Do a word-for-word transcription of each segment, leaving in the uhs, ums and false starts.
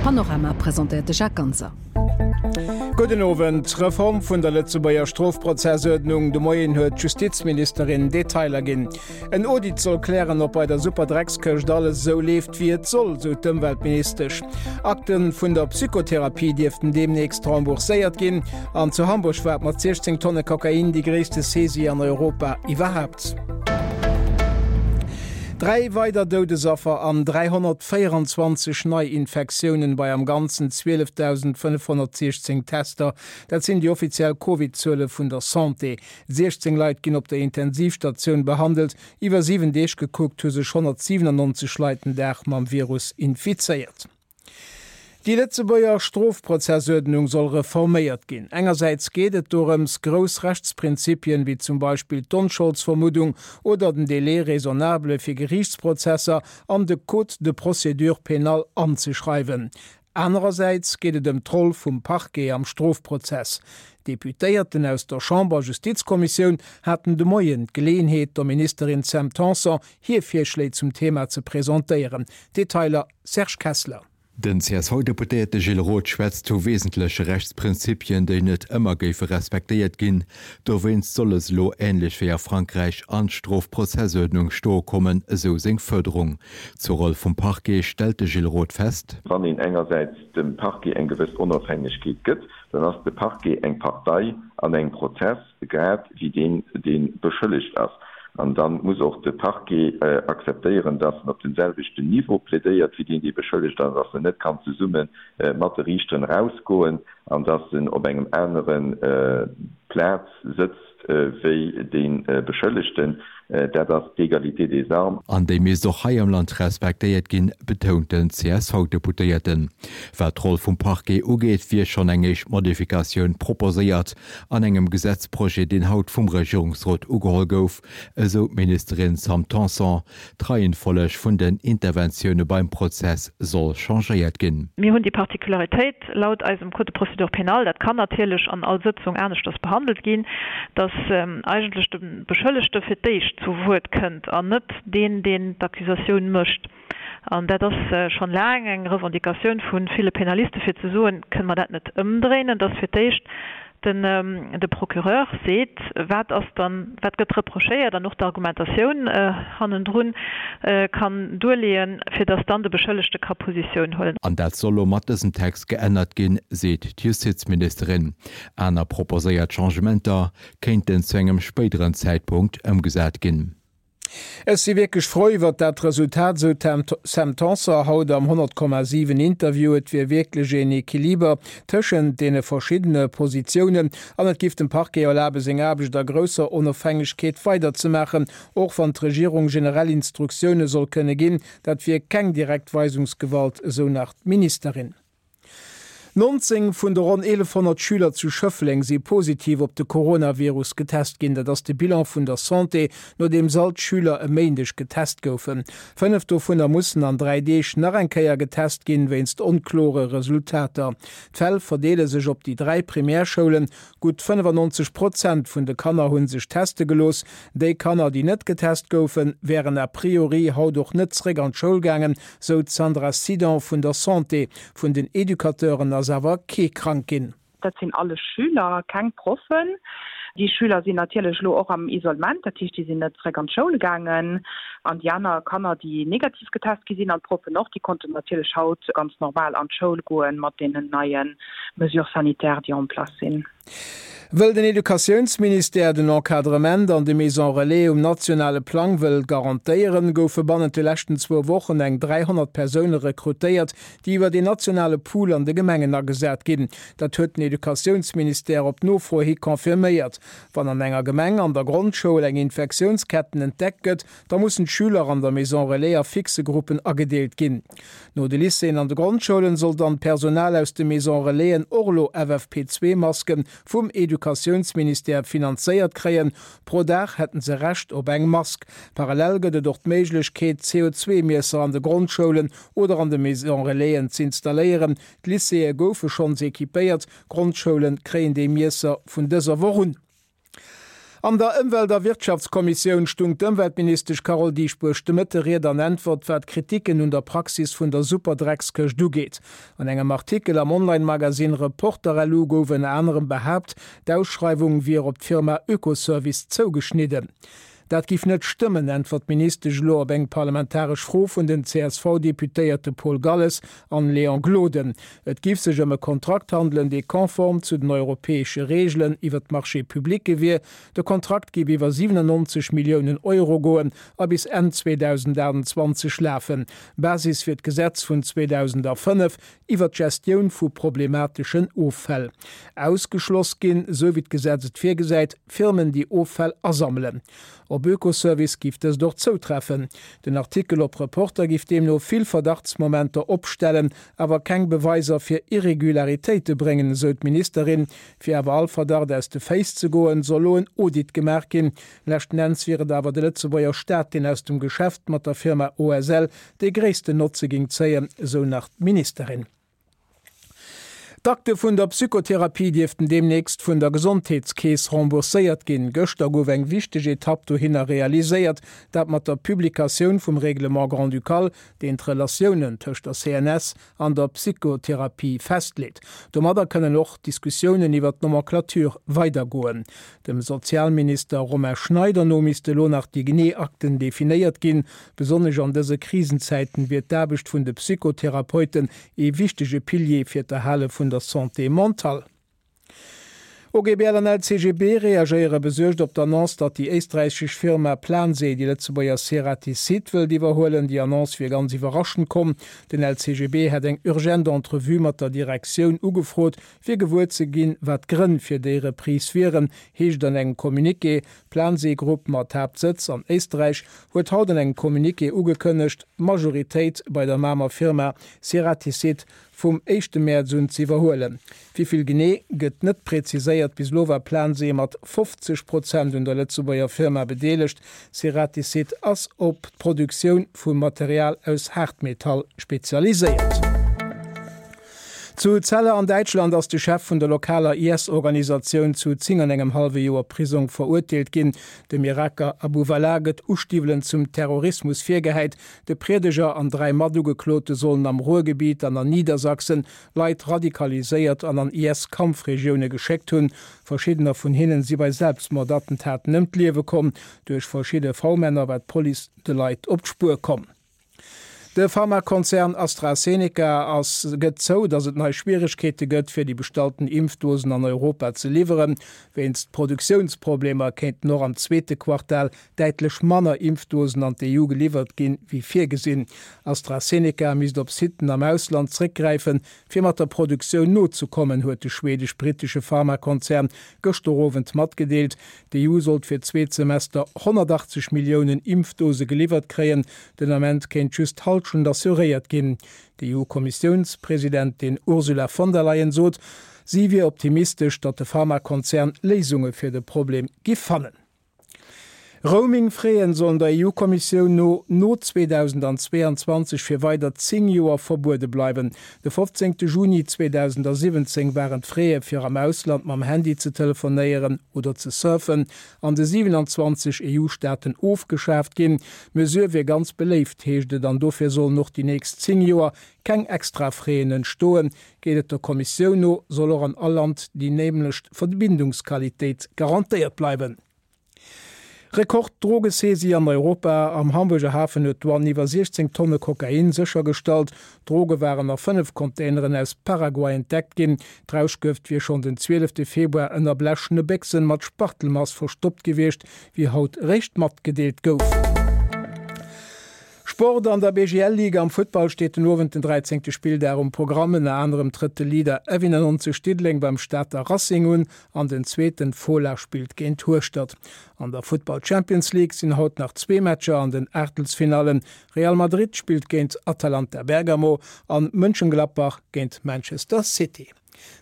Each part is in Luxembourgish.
Panorama presentéiert de Jacques Ganser. Gudden Owend. D'Reform vun der Lëtzebuerger Strofprozessuerdnung, de Moien huet d'Justizministerin Detailer ginn. En Audit soll klären, ob bei der Superdreckskëscht alles esou leeft, wéi et soll, sou d'Ëmweltministesch. Akte vun der Psychotherapie dierften deemnächst rembourséiert ginn. An zu Hamburg war et mat siechzéng Tonne Kokain déi gréisste Saisie an Europa iwwerhaapt. Dräi weider Doudesaffer an dräihonnertvéierenzwanzeg Neiinfektiounen bei am Ganzen zwielefdausendfënnefhonnertsiechzéng Tester, dat sinn déi offiziell Covid-Zuele vun der Santé. siechzéng Leit ginn op der Intensivstatioun behandelt. Iwwer siwen Deeg gekuckt hu sech honnertsiwenannonzeg Leit den Dag mam Virus infizéiert. Déi Lëtzebuerger Strofprozessuerdnung soll reforméiert ginn. Engersäits geet et dorëms, grouss Rechtsprinzipien, wéi zum Beispill d'Onscholdsvermuddung oder den Délai raisonnable fir Geriichtsprozesser, an de Code de procédure pénale anzeschreiwen. Anerersäits geet et ëm d'Roll vum Parquet am Strofprozess. D'Deputéierten aus der Chamber-Justizkommissioun haten de Moien d'Geleeënheet, der Ministerin Sam Tanson hir Virschléi zum Thema ze presentéieren. Detailer Serge Kessler. Den C S V-Deputéierte Gilles Roth schwätzt vu wesentleche Rechtsprinzipien, déi net ëmmer géife respektéiert ginn. Dowéinst solle se elo, änlech wéi a Frankräich, an d'Strofprozessuerdnung stoe kommen, esou seng Fuerderung. Zur Roll vum Parquet stellt de Gilles Roth fest. Wann een engersäits dem Parquet eng gewëss Onofhängegkeet gëtt, dann ass de Parquet eng Partei an engem Prozess, grad wéi deen, dee beschëllegt ass. An da muss och de Parquet akzeptéieren, dass en op dem selwechten Niveau plädéiert wéi deen, dee beschëllegt ass, dass en net kann zesumme mat de Riichteren erausgoen an dass en op engem anere Plaz sëtzt wéi dee Beschëllegten. Dat ass d'Égalité des armes. An déi misst och hei am Land respektéiert ginn, betount den C S V-Deputéierten. Wat d'Roll vum Parquet ugeet, wier schonn eng éischt Modifikatioun proposéiert an engem Gesetzprojet, deen haut vum Regierungsrot ugeholl gouf, esou d'Ministerin Sam Tanson. D'Reihenfolleg vun den Interventioune beim Prozess soll changéiert ginn. Mir hunn déi Particularitéit laut eisem Code de procédure pénale, dat kann natierlech an all Sëtzung aneschters behandelt ginn, dass eigentlech de Beschëllegte fir d'éischt zu Wuert kënnt an net deen, deen d'Accusatioun mécht. An dat ass schonn laang eng Revendicatioun vu ville Penaliste fir ze soen, Kënne mer dat net ëmdréinen, dass fir d'éischt den de Procureur seet, wat ass dann, wat gëtt reprochéiert an och d'Argumentatioun hannendrun kann duerleeën, fir dass dann de Beschëllegte ka Positioun huelen. An dat soll lo mat dësem Text geännert ginn, seet d'Justizministerin. Aner proposéiert Changementer kéinten zu engem spéideren Zäitpunkt ëmgesat ginn. Ech si wierklech frou iwwert dat Resultat, sou d'Sam Tanson haut am honnert Komma siwen Interview. Et wier wierklech een Equiliber tëschent deene verschiddene Positiounen an et giff dem Parquet erlabe seng Aarbecht a grousser Onofhängegkeet weiderzemaachen, och wann d'Regierung generell Instruktioune soll kënne ginn. Dat wier keng direkt Weisungsgewalt, esou nach d'Ministerin. Nonzéng vun de ronn eelefhonnert Schüler zu Schëffleng si positiv op de Coronavirus getest ginn. Dat ass de Bilan vun der Santé, nodeems all d'Schüler e Méindeg getest goufen. Fënnef dovunner mussen an dräi Deeg nach eng Kéier getest ginn, wéinst onklore Resultater. D'Fäll verdeele sech op déi dräi Primärschoulen. Gutt fënnefannonzeg Prozent vun de Kanner hu sech teste gelooss. Déi Kanner, déi net getest goufen, wären a priori haut och net zeréck an d'Schoul gaangen, sou d'Sandra Sidon vun der Santé. Vun den Educateuren ass awer kee krank ginn. Dat sinn alles Schüler, keng Proffen. Déi Schüler sinn natierlech elo och am Isolement, dat heescht, déi sinn net zeréck an d'Schoul gaangen. An déi aner Kanner, déi negativ getest gi sinn, an d'Proffen och, déi konnten natierlech haut ganz normal an d'Schoul goen, mat deenen neie Mesures sanitaires, déi en place sinn. Wëll den Educatiounsministère den Encadrement an de Maisons Relais um nationale Plang wëll garantéieren, goufe bannent de leschten zwou Wochen eng dräihonnert Persoune rekrutéiert, déi iwwer een nationale Pool an de Gemengen agesat ginn. Dat huet den Educatiounsministère op Nofro hi confirméiert. Wann an enger Gemeng an der Grondschoul eng Infektiounsketten entdeckt gëtt, da mussen d'Schüler an der Maison Relais a fixe Gruppen agedeelt ginn. No de Lycéeën an de Grondschoulen soll dann d'Personal aus de Maison Relaisen och elo F F P zwee Masken vum Educatiounsministère finanzéiert kréien. Pro Dag hätten se Recht op eng Mask. Parallel gëtt et och d'Méiglechkeet, C O zwei Miesser an de Grondschoulen oder an de Maison Relaisen z'installéieren. D'Lycéeë goufe schonns equipéiert, Grondschoulen kréien déi Miesser vun dëser Woch un. An der Ëmwelt a Wirtschaftskommissioun stung d'Ëmweltministesch Carole Dieschbourg de Mëtte Ried an Äntwert, wat d'Kritiken un der Praxis vun der Superdreckskëscht ugeet. An engem Artikel am Online-Magasinn Reporter-LU gouf ënner anerem behaapt, d'Ausschreiwung wier op d'Firma Oekoservice zougeschnidden. Dat giff net stëmmen, äntwert d'Ministesch elo op eng parlamentaresch Fro vun den C S V-Deputéierte Paul Galles an Léon Gloden. Et giff sech ëm e Kontrakt handelen, dee konform zu den europäesche Reegelen iwwer d'Marchés publics wier. De Kontrakt giff iwwer siwenannonzeg Milliounen Euro goen a bis Enn zweedausendaachtundzwanzeg lafen. Basis wier d'Gesetz vun zweedausendafënnef iwwer d'Gestioun vu problemateschen Offäll. Ausgeschloss ginn, esou wéi d'Gesetz et virgesäit, Firmen, déi Offäll asammelen. Op Oekoservice giff dëst och zoutreffen. Den Artikel op Reporter giff deemno vill Verdachtsmomenter opstellen, awer keng Beweiser fir Irregularitéite bréngen, esou d'Ministerin. Fir awer all Verdacht aus de Féiss ze goen, soll lo en Audit gemaach ginn. Leschten Enns wier et awer de Lëtzebuerger Staat, deen aus dem Geschäft mat der Firma O S L dee gréissten Notze géing zéien, esou nach d'Ministerin. D'Akte vun der Psychotherapie dierften deemnächst vun der Gesondheetskeess rembourséiert ginn. Gëschter gouf eng wichteg Etapp dohinner realiséiert, dat mat der Publikatioun vum Règlement grand-ducal, deen d'Relatiounen tëscht der C N S an der Psychotherapie festleet. Domadder kënnen och d'Diskussiounen iwwer d'Nomenclature weidergoen. Dem Sozialminister Romain Schneider no misste lo nach déi genee Akten definéiert ginn. Besonnesch an dëse Krisenzäiten wier d'Aarbecht vun de Psychotherapeuten ee wichtege Pilier fir d'Erhale vun der Santé mentale. O G B L an L C G B reagéiere besuergt op d'Annonce, datt déi éisträichesch Firma Plansee déi Lëtzebuerger Ceratizit wëllt iwwerhuelen. Déi Annonce wier ganz iwwerraschend komm. Den L C G B hätt eng urgent Entrevue mat der Direktioun ugefrot, fir gewuer ze ginn, wat d'Grënn fir déi Reprise wieren, heescht an engem Communiqué. D'Plansee Group mat Haaptsëtz an Éisträich huet haut an engem Communiqué ugekënnegt, d'Majoritéit bei der Mamer Firma Ceratizit vum éischte Mäerz un ze iwwerhuelen. Wéi vill genee, gëtt net präziséiert. Bis elo war Plansee mat fofzeg Prozent un der Lëtzebuerger Firma bedeelegt. Ceratizit ass op d'Produktioun vu Material aus Haartmetall spezialiséiert. Zu Celle an Däitschland ass de Chef vun der lokaler I S-Organisatioun zu zéng an engem hallwe Joer Prisong verurteelt ginn. Dem Iraker Abu Walaa gëtt Ustiwwelen zum Terrorismus virgehäit. De Priedeger an dräi Matugeklote sollen am Ruhrgebiet an an Niedersachsen Leit radikaliséiert an an I S-Kampfregioune geschéckt hunn. Verschiddener vun hinnen si bei Selbstmordattentaten ëm d'Liewe komm. Duerch verschidde V-Männer war d'Police de Leit op d'Spuer komm. De Pharmakonzern AstraZeneca ass gëtt zou, datt et nei Schwieregkeete gëtt, fir déi bestallten Impfdosen an Europa ze liwweren. Wéinst Produktiounsproblemer kéinten och am zweete Quartal däitlech manner Impfdosen an d'E U geliwwert ginn, wéi virgesinn. AstraZeneca misst op Sitten am Ausland zréckgräifen, fir mat der Produktioun nozekommen, huet de schweedesch-brittesche Pharmakonzern gëschter Owend matgedeelt. D'E U sollt fir d'zweet Semester honnertachtzeg Milliounen Impfdose geliwwert kréien, den Ament kéint just d'Hallschent assuréiert ginn. D'E U-Kommissiounspresidentin Ursula von der Leyen sot, si wier optimistesch, datt de Pharmakonzern Léisunge fir de Problem giff fannen. Roaming-Fräen sollen der E U-Kommissioun no no zweedausendzweeanzwanzeg fir weider zéng Joer verbuede bleiwen. De fofzéngte Juni zweedausendsiwwenzéng waren d'Fraie fir am Ausland mam Handy ze telefonéieren oder ze surfen an de siewenanzwanzeg E U-Staaten ofgeschaaft ginn. D'Mesure wier ganz beléift, heescht et, an dofir sollen och déi nächst zéng Joer keng extra Fräen entstoen. Geet et der Kommissioun no, soll och an all Land déi nämlecht Verbindungsqualitéit garantéiert bleiwen. Rekord-Drogesaisie an Europa, Am Hamburger Hafen huet d'Douane iwwer siechzéng Tonne Kokain séchergestallt. D'Droge waren a fënnef Containeren aus Paraguay entdeckt ginn. D'Rauschgëft wier schonn den zwielefte Februar ënner blechene Béchsen mat Spachtelmass verstoppt gewiescht, wéi haut eréischt matgedeelt gouf. Sport, An der B G L-Liga am Futtball steet den Owend den dräizéngte Spilldag um Programm. Ënner anerem trëtt de Leader F nonzeg Diddeleng beim Stater Racing un an den zweeten Fola spillt géint Hueschtert. An der Futtball Champions League sinn haut nach zwee Matcher an den Aachtelsfinallen. Real Madrid spillt géint Atalanta Bergamo an Mönchengladbach géint Manchester City.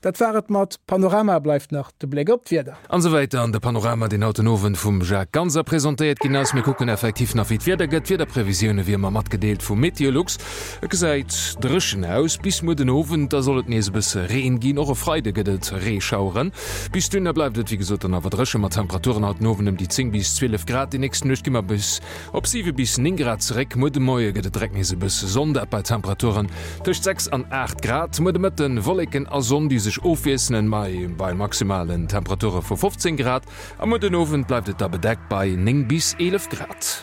Dat war et mat Panorama bleift nach de Bléck op d'Wieder. An esou wäiter an de Panorama, deen haut den Owend vum Jacques Ganser presentéiert ginn ass. Mir kucken effektiv nach wéi d'Wieder gëtt. D'Wiederprevisioune wéi ëmmer matgedeelt vu Meteolux. Et gesäit dréchen aus bis muer den Owend, da soll et nees e bësse Reen ginn. Och e Freide gëtt et Reeschaueren. Bis dunner bleift et wéi gesot dann awer dréche mat Temperaturen haut den Owend ëm déi zéng bis zwielef Grad. Déi nächst Nuecht gi mer bis op siwe bis néng Grad zeréck. Muer de Moie gëtt et direkt nees e bësse Sonn, dat bei Temperaturen tëscht sechs an aacht Grad. Muer de Mëtten Wolleken a Sonn, déi sech ofwiesselen, mai bei maximalen Temperature vu fofzéng Grad. A muer den Owend bleift et da bedeckt bei néng bis eelef Grad.